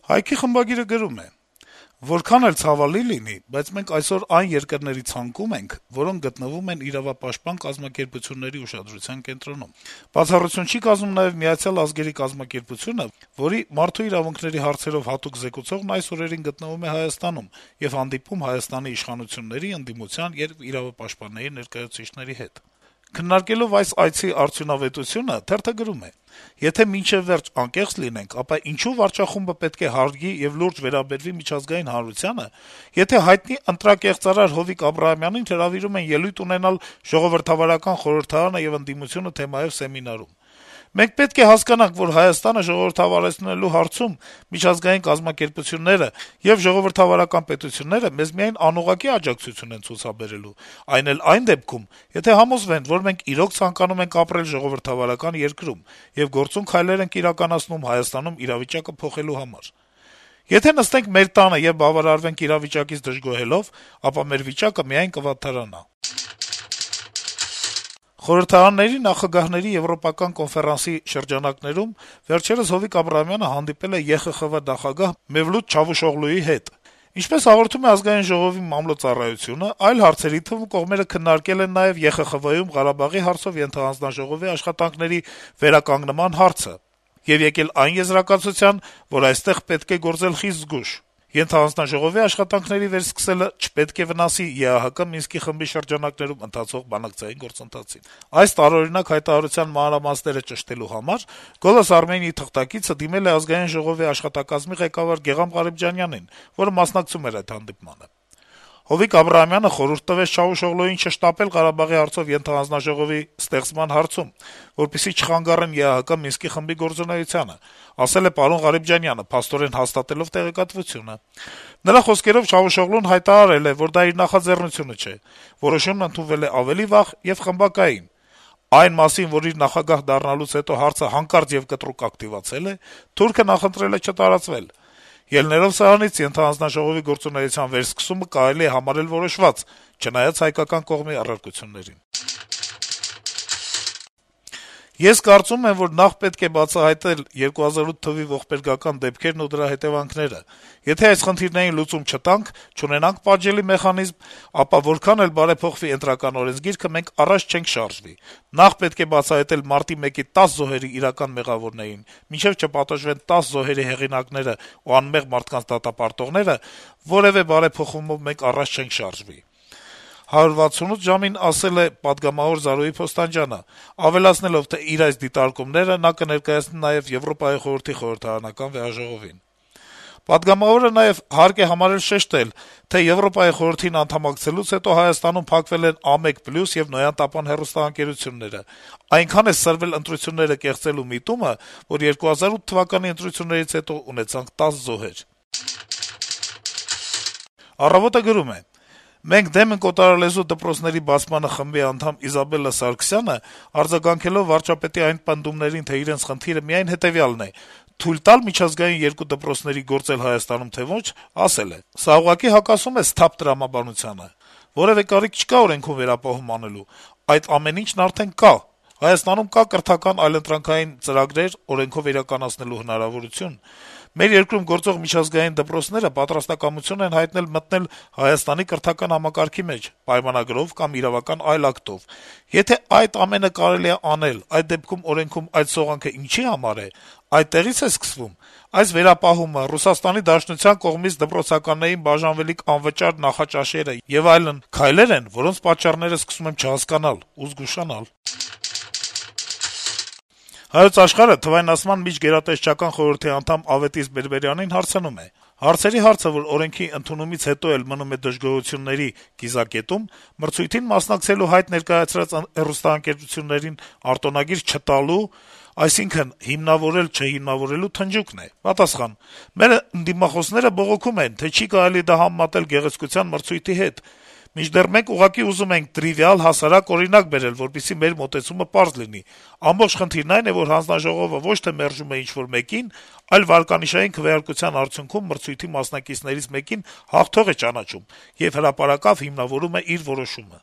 Հայքի խմբագիրը գրում է. - «Որքան էլ ցավալի լինի, բայց մենք այսօր այն երկրների ցանկում ենք, որոնք գտնվում են իրավապաշտպան կազմակերպությունների ուշադրության կենտրոնում: Բացառություն չի կազմում նաեւ Միացյալ ազգերի կազմակերպությունը, որի մարդու իրավունքների հարցերով հատուկ զեկուցողն այս օրերին գտնվում է Հայաստանում եւ հանդիպում Հայաստանի իշխանությունների, ընդդիմության եւ իրավապաշտպանների ներկայացուցիչների հետ: Քննարկելով այս այցի արդյունավետությունը` թերթը գրում է. - «Եթե մինչեւ վերջ անկեղծ լինենք, ապա ինչո՞ւ վարչախումբը պետք է հարգի եւ լուրջ վերաբերվի միջազգային հանրությանը, եթե հայտնի ընտրակեղծարար Հովիկ Աբրահամյանին հրավիրում են ելույթ ունենալ Ժողովրդավարական խորհրդարանը եւ ընդդիմությունը թեմայով սեմինարում: Մենք պետք է հասկանանք, որ Հայաստանը ժողովրդավարացնելու հարցում միջազգային կազմակերպությունները եւ ժողովրդավարական պետությունները մեզ միայն անուղղակի աջակցություն են ցուցաբերելու, այն էլ այն դեպքում, եթե համոզվեն, որ մենք իրոք ցանկանում ենք ապրել ժողովրդավարական երկրում եւ գործուն քայլեր ենք իրականացնում Հայաստանում իրավիճակը փոխելու համար: Եթե նստենք մեր տանը եւ բավարարվենք իրավիճակից դժգոհելով, ապա մեր վիճակը միայն կվատթարանա»: Խորհրդարանների նախագահների եվրոպական կոնֆերանսի շրջանակներում վերջերս Հովիկ Աբրահամյանը հանդիպել է ԵԽԽՎ նախագահ Մևլութ Չավուշօղլուի հետ: Ինչպես հաղորդում է Ազգային ժողովի մամլո ծառայությունը, այլ հարցերի թվում կողմերը քննարկել են նաեւ ԵԽԽՎ-ում Ղարաբաղի հարցով ենթահանձնաժողովի աշխատանքների վերականգնման հարցը եւ եկել այն եզրակացության, որ այստեղ պետք է գործել խիստ զգույշ: Ենթահանձնաժողովի աշխատանքների վերսկսելը չպետք է վնասի ԵԱՀԿ Մինսկի խմբի շրջանակներում ընթացող բանակցային գործընթացին: Այս տարօրինակ հայտարարության մանրամասները ճշտելու համար «Գոլոս Արմենիայի» թղթակիցը դիմել է Ազգային ժողովի աշխատակազմի ղեկավար Գեղամ Ղարիբջանյանին, որը մասնակցում էր այդ հանդիպմանը: Հովիկ Աբրահամյանը խորհուրդ տվեց Չավուշօղլուին չշտապել Ղարաբաղի հարցով ենթահանձնաժողովի ստեղծման հարցում, որպեսզի չխանգարեն ԵԱՀԿ Մինսկի խմբի գործունեությանը, ասել է պարոն Ղարիբջանյանը` փաստորեն հաստատելով տեղեկատվությունը: Նրա խոսքերով Չավուշօղլուն հայտարարել է, որ դա իր նախաձեռնությունը չէ: Որոշումն ընդունվել է ավելի վաղ եւ խմբակային: Այն մասին, որ իր նախագահ դառնալուց հետո հարցը հանկարծ եւ կտրուկ ակտիվացել է, թուրքը նախընտրել է չտարածվել: Ելնելով սրանից` ենթահանձնաժողովի գործունեության վերսկսումը կարելի է համարել որոշված` չնայած հայկական կողմի առարկություններին: «Ես կարծում եմ, որ նախ պետք է բացահայտել 2008 թվականի ողբերգական դեպքերն ու դրա հետեւանքները: Եթե այս խնդիրներին լուծում չտանք, չունենանք պատժելի մեխանիզմ, ապա որքան էլ բարեփոխվի Ընտրական օրենսգիրքը, մենք առաջ չենք շարժվի: Նախ պետք է բացահայտել մարտի 1-ի 10 զոհերի իրական մեղավորներին: Մինչեւ չպատժվեն 10 զոհերի հեղինակներն ու անմեղ մարդկանց դատապարտողները, որեւէ բարեփոխումով մենք առաջ չենք շարժվի», «168 ժամ»-ին ասել է պատգամավոր Զարուհի Փոստանջյանը, ավելացնելով, թե իր այս դիտարկումները նա կներկայացնի նաեւ Եվրոպայի խորհրդի խորհրդարանական վեհաժողովին: Պատգամավորը նաեւ հարկ է համարել շեշտել, թե Եվրոպայի խորհրդին անդամակցելուց հետո Հայաստանում փակվել են «Ամեկ-պլյուս» եւ «Նոյան-Տապան» հեռուստաընկերությունները: Այնքան է սրվել ընտրությունները կեղծելու միտումը, որ 2008 թվականի ընտրություններից հետո ունեցանք 10 զոհեր»: «Առավոտ»-ը գրում է. - «Մենք դեմ ենք օտարալեզու դպրոցների բացմանը» խմբի անդամ Իզաբելլա Սարգսյանը, արձագանքելով վարչապետի այն պնդումներին, թե իրենց խնդիրը միայն հետեւյալն է` թույլ տալ միջազգային երկու դպրոցների գործել Հայաստանում, թե ոչ, ասել է. - «Սա ուղղակի հակասում է սթափ տրամաբանությանը: Որեւէ կարիք չկա օրենքում վերապահում անելու: Այդ ամեն ինչն արդեն կա: Հայաստանում կա կրթական այլընտրանքային ծրագրեր, օրենքով իրականացնելու հնարավորություն: Մեր երկրում գործող միջազգային դպրոցները պատրաստակամություն են հայտնել մտնել Հայաստանի կրթական համակարգի մեջ, պայմանագրով կամ իրավական այլ ակտով: Եթե այդ ամենը կարելի է անել, այդ դեպքում օրենքում այդ սողանքը ինչի համար է: Այդտեղի՞ց է սկսվում: Այս վերապահումը, ՌԴ կողմից դպրոցականներին բաժանվելիք անվճար նախաճաշերը եւ այլն քայլեր են, որոնց պատճառները սկսում եմ չհասկանալ ու զգուշանալ»: «Հայոց Աշխարհ»-ը Թվայնացման միջգերատեսչական խորհրդի անդամ Ավետիս Բերբերյանին հարցնում է. - «Հարցերի հարցը, որ օրենքի ընդունումից հետո էլ մնում է դժգոհությունների կիզակետում, մրցույթին մասնակցելու հայտ ներկայացրած հեռուստաընկերություններին արտոնագիր չտալու, այսինքն` հիմնավորել-չհիմնավորելու թնջուկն է»: Պատասխան. - «Մեր ընդդիմախոսները բողոքում են, թե չի կարելի դա համեմատել գեղեցկության մրցույթի հետ: Մինչդեռ մենք ուղղակի ուզում ենք տրիվիալ, հասարակ օրինակ բերել, որպեսզի մեր մոտեցումը պարզ լինի: Ամբողջ խնդիրն այն է, որ հանձնաժողովը ոչ թե մերժում է ինչ-որ մեկին, այլ վարկանիշային քվեարկության արդյունքում մրցույթի մասնակիցներից մեկին հաղթող է ճանաչում եւ հրապարակավ հիմնավորում է իր որոշումը»: